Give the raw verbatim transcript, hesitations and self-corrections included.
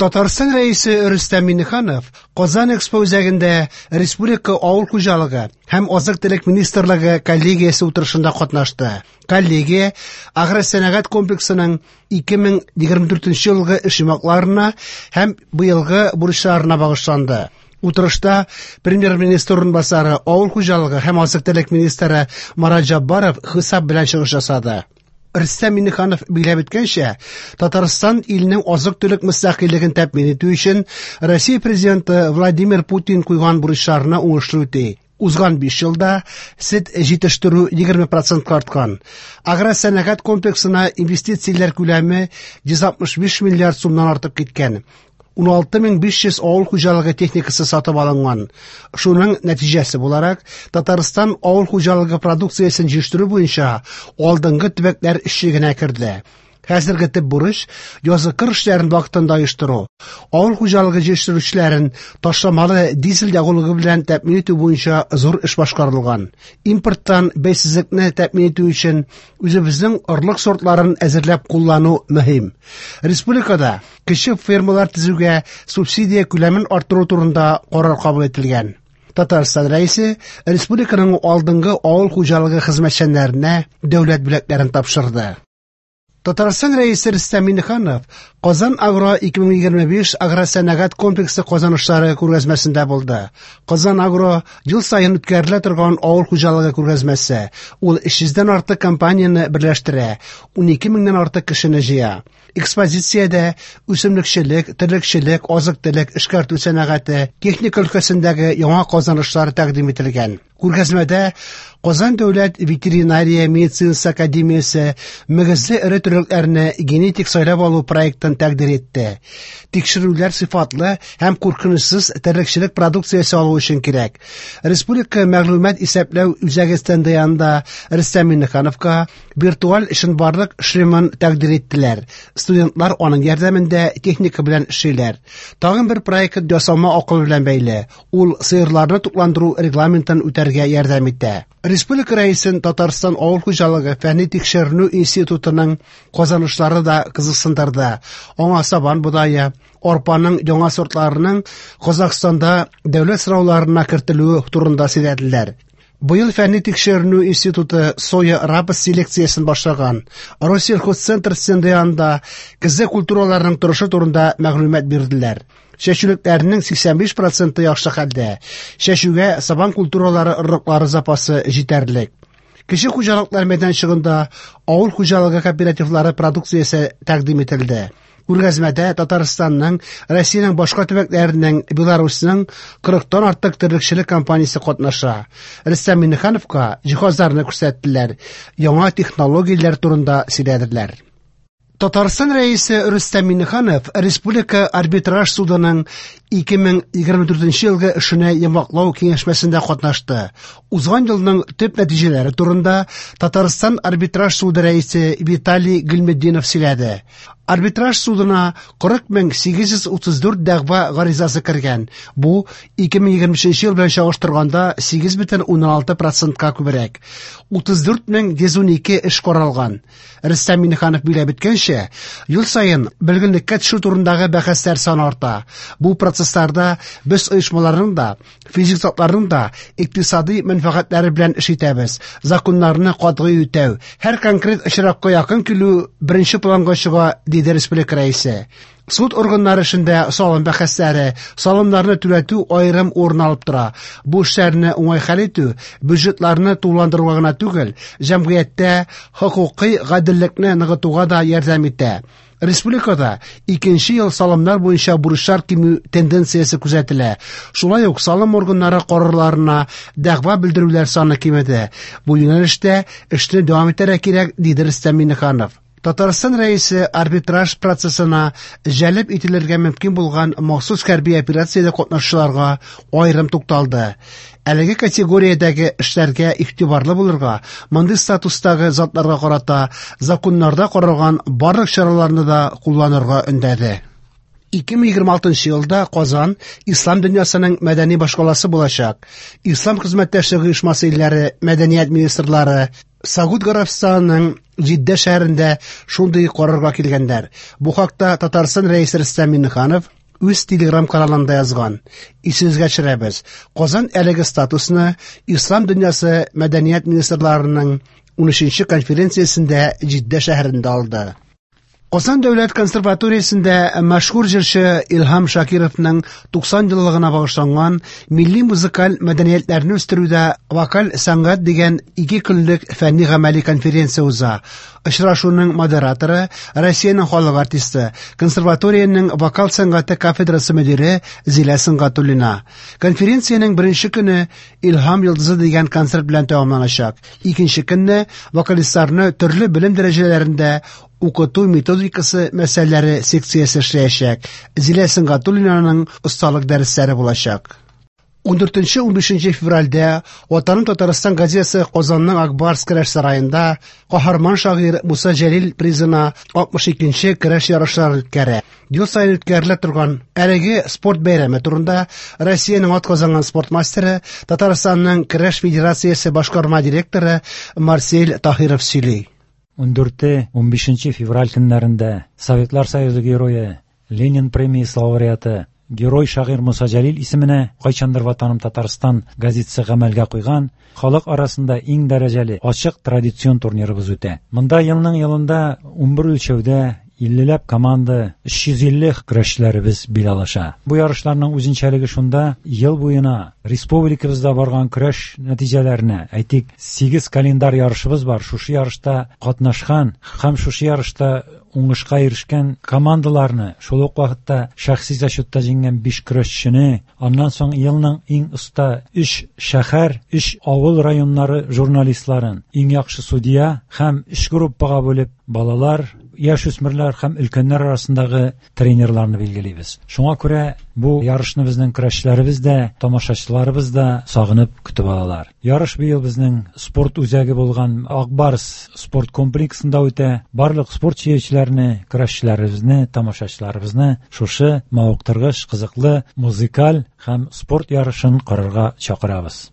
Татарстан Рәисе Рөстәм Миңнеханов Казан Экспо үзәгендә Республика авыл хуҗалыгы һәм азык-төлек министрлыгы коллегиясе утырышында катнашты. Коллегия агросәнәгать комплексының ике мең егерме дүртенче елгы эш йомгакларына һәм быелгы бурычларына багышланды. Утырышта премьер-министр урынбасары, авыл хуҗалыгы һәм азык-төлек министры Марат Җаббаров хисап белән чыгыш ясады. Рөстәм Миңнеханов билгеләп үткәнчә, Татарстан илнең азык-төлек мөстәкыйльлеген тәэмин итү өчен Россия президенты Владимир Путин куйган бурычларны уңышлы үти. Узган биш елда сөт җитештерү егерме процентка арткан. Агросәнәгать комплексына инвестицияләр күләме йөз алтмыш биш миллиард сумнан артып киткән. ун алты мең биш йөз авыл хуҗалыгы техникасы сатып алынган. Шуның нәтиҗәсе буларак, Татарстан авыл хуҗалыгы продукциясен җитештерү буенча алдынгы төбәкләр өчлегенә керде. Хәзерге төп бурыч язгы кыр эшләрен вакытында оештыру. Авыл хуҗалыгы җитештерүчеләрен ташламалы дизель ягулыгы белән тәэмин итү буенча зур эш башкарылган. Импорттан бәйсезлекне тәэмин итү өчен үзебезнең орлык сортларын әзерләп куллану мөһим. Республикада кече фермалар төзүгә субсидия күләмен арттыру турында карар кабул ителгән. Татарстан Рәисе республиканың алдынгы авыл хуҗалыгы хезмәтчәннәренә дәүләт бүләкләрен тапшырды. Татарстан Рәисе Рөстәм Миңнеханов Казан Агро ике мең егерме биш агросәнәгать комплексы казанышлары күргәзмәсендә булды. Казан Агро ел саен үткәрелә торган авыл хуҗалыгы күргәзмәсе. Ул өч йөздән артык компанияне берләштерә, унике меңнән артык кешене җыя. Экспозициядә үсемлекчелек, терлекчелек, азык-төлек, эшкәртү сәнәгате, техника өлкәсендәге яңа казанышлар тәкъдим ителгән. Күргәзмәдә Казан дәүләт ветеринария медицинасы академиясе мөгезле эре терлекләрне генетик сайлап алу проектын тәкъдир итте. Тикшерүләр сыйфатлы һәм куркынычсыз терлекчелек продукциясе алу өчен кирәк. Республика мәгълүмат исәпләү үзәге стенды янында Рөстәм Миңнехановка виртуаль чынбарлык шлемын тәкъдир иттеләр. Студентлар аның ярдәмендә техника белән эшлиләр. Тагын бер проект ясалма акыл белән бәйле. Ул сыерларны тукландыру регламентын үтәргә ярдәм итә. Республика Рәисен Татарстан авыл хуҗалыгы фәнни тикшеренү институтының казанышлары да кызыксындырды. Аңа сабан бодае, арпаның яңа сортларының Казахстанда дәүләт сорауларына кертелүе турында сөйләделәр. Быел фәнни тикшеренү институты соя рапс селекциясен башлаган. Россельхозцентр стенды янында көзге культураларның торышы турында мәгълүмат бирделәр. Чәчүлекләрнең сиксән биш проценты яхшы хәлдә. Чәчүгә сабан культуралары орлыклары запасы җитәрлек. Кече хуҗалыклар мәйданчыгында авыл хуҗалыгы кооперативлары продукциясе тәкъдим ителде. Күргәзмәдә Татарстанның, Россиянең башка төбәкләренең, Беларусьның кырыктан артык терлекчелек компаниясе катнаша. Рөстәм Миңнехановка җиһазларны күрсәттеләр, яңа технологияләр турында сөйләделәр. Татарстан Рәисе Рөстәм Миңнеханов Республика арбитраж судының ике мең егерме дүртенче елгы эшенә йомгаклау киңәшмәсендә катнашты. Узган елның төп нәтиҗәләре турында Татарстан арбитраж суды рәисе Виталий Гыйльметдинов сөйләде. Арбитраж судына кырык мең сигез йөз утыз дүрт дәгъва гаризасы кергән. Бу ике мең егерме өченче ел белән чагыштырганда сигез бөтен уннан алты процентка күбрәк. Утыз дүрт мең йөз унике эш каралган. Рөстәм Миңнеханов билгеләп үткәнчә, ел саен бөлгенлеккә төшү турындагы бәхәсләр саны арта. Бу процессларда без оешмаларның да, физик затларның да икътисади мәнфәгатьләре белән эш итәбез. Законнарны катгый үтәү, һәр конкрет очракка якын килү беренче планга чыга, диде республика рәисе. Суд органнары эшендә салым бәхәсләре, салымнарны түләтү аерым урын алып тора. Бу эшләрне уңай хәл итү бюджетларны тулыландыруга гына түгел, җәмгыятьтә хокукый гаделлекне ныгытуга да ярдәм итә. Республикада икенче ел салымнар буенча бурычлар кимү тенденциясе күзәтелә. Шулай ук салым органнары карарларына дәгъва белдерүләр саны кимеде. Бу юнәлештә эшне дәвам итәргә кирәк, диде Рөстәм Миңнеханов. Татарстан Рәисе арбитраж процессына җәлеп ителергә мөмкин булган махсус хәрби операциядә катнашучыларга аерым тукталды. Әлеге категориядәге эшләргә игътибарлы булырга, мондый статустагы затларга карата законнарда каралган барлык чараларны да кулланырга өндәде. Ике мең егерме алтынчы елда Казан ислам дөньясының мәдәни башкаласы булачак. Ислам хезмәттәшлеге оешмасы илләре мәдәният министрлары Согуд Гарәбстанының Җиддә шәһәрендә шундый карарга килгәннәр. Бу хакта Татарстан Рәисе Рөстәм Миңнеханов үз телеграм-каналында язган. Исегезгә төшерәбез, Казан әлеге статусны Ислам дөньясы мәдәният министрларының унөченче конференциясендә Җиддә шәһәрендә алды. Казан дәүләт консерваториясендә мәшһүр җырчы Илһам Шакировның туксан еллыгына багышланган милли музыкаль мәдәниятләрне үстерүдә вокаль сәнгать дигән ике көнлек фәнни гамәли конференция уза. Очрашуның модераторы Россиянең халык артисты, консерваториянең вокал сәнгате кафедрасы мөдире Зилә Сөнгатуллина. Конференциянең беренче көне Илһам йолдызы дигән концерт белән тәмамланачак. Икенче көнне вокалистларны төрле белем дәрәҗәләрендә укыту методикасы мәсьәләләре секциясе эшләячәк. Зилә Сөнгатуллинаның осталык дәресләре булачак. Ундүртенче унбишенче февральдә Ватаным Татарстан газетасы Казанның Акбарс көрәш сараенда каһарман шагыйрь Муса Җәлил призына алтмыш икенче көрәш ярышлары үткәрә. Ел саен үткәрелә торган әлеге спорт бәйрәме турында Россиянең атказанган спорт мастеры, Татарстанның көрәш федерациясе башкарма директоры Марсель Таһиров сөйли. Ундүрте унбишенче февраль көннәрендә Советлар Союзы герое, Ленин премиясе лауреаты, герой шагыйрь Муса Җәлил исеменә кайчандыр Ватаным Татарстан газетасы гамәлгә куйган халык арасында иң дәрәҗәле ачык традицион турнирыбыз үтә. Монда елның елында унбер үлчәүдә иллеләп команда, өч йөз илле көрәшчеләребез бил алыша. Бу ярышларның үзенчәлеге шунда, ел буена республикабызда барган көрәш нәтиҗәләренә, әйтик, сигез календарь ярышыбыз бар. Шушы ярышта катнашкан һәм шушы ярышта уңышка ирешкән командаларны, шул ук вакытта шәхси зачетта җиңгән биш көрәшчене, аннан соң елның иң оста өч шәһәр, өч авыл районнары журналистларын, иң яхшы судья һәм өч группага бүлеп балалар, яшүсмерләр һәм өлкәннәр арасындагы тренерларны билгелибез. Шуңа күрә бу ярышны безнең көрәшчеләребез дә, тамашачыларыбыз да сагынып көтеп алалар. Ярыш быел безнең спорт үзәге булган Акбарс спорт комплексында үтә. Барлык спорт сөючеләрне, көрәшчеләребезне, тамашачыларыбызны шушы мавыктыргыч, кызыклы музыкаль һәм спорт ярышын карарга чакырабыз.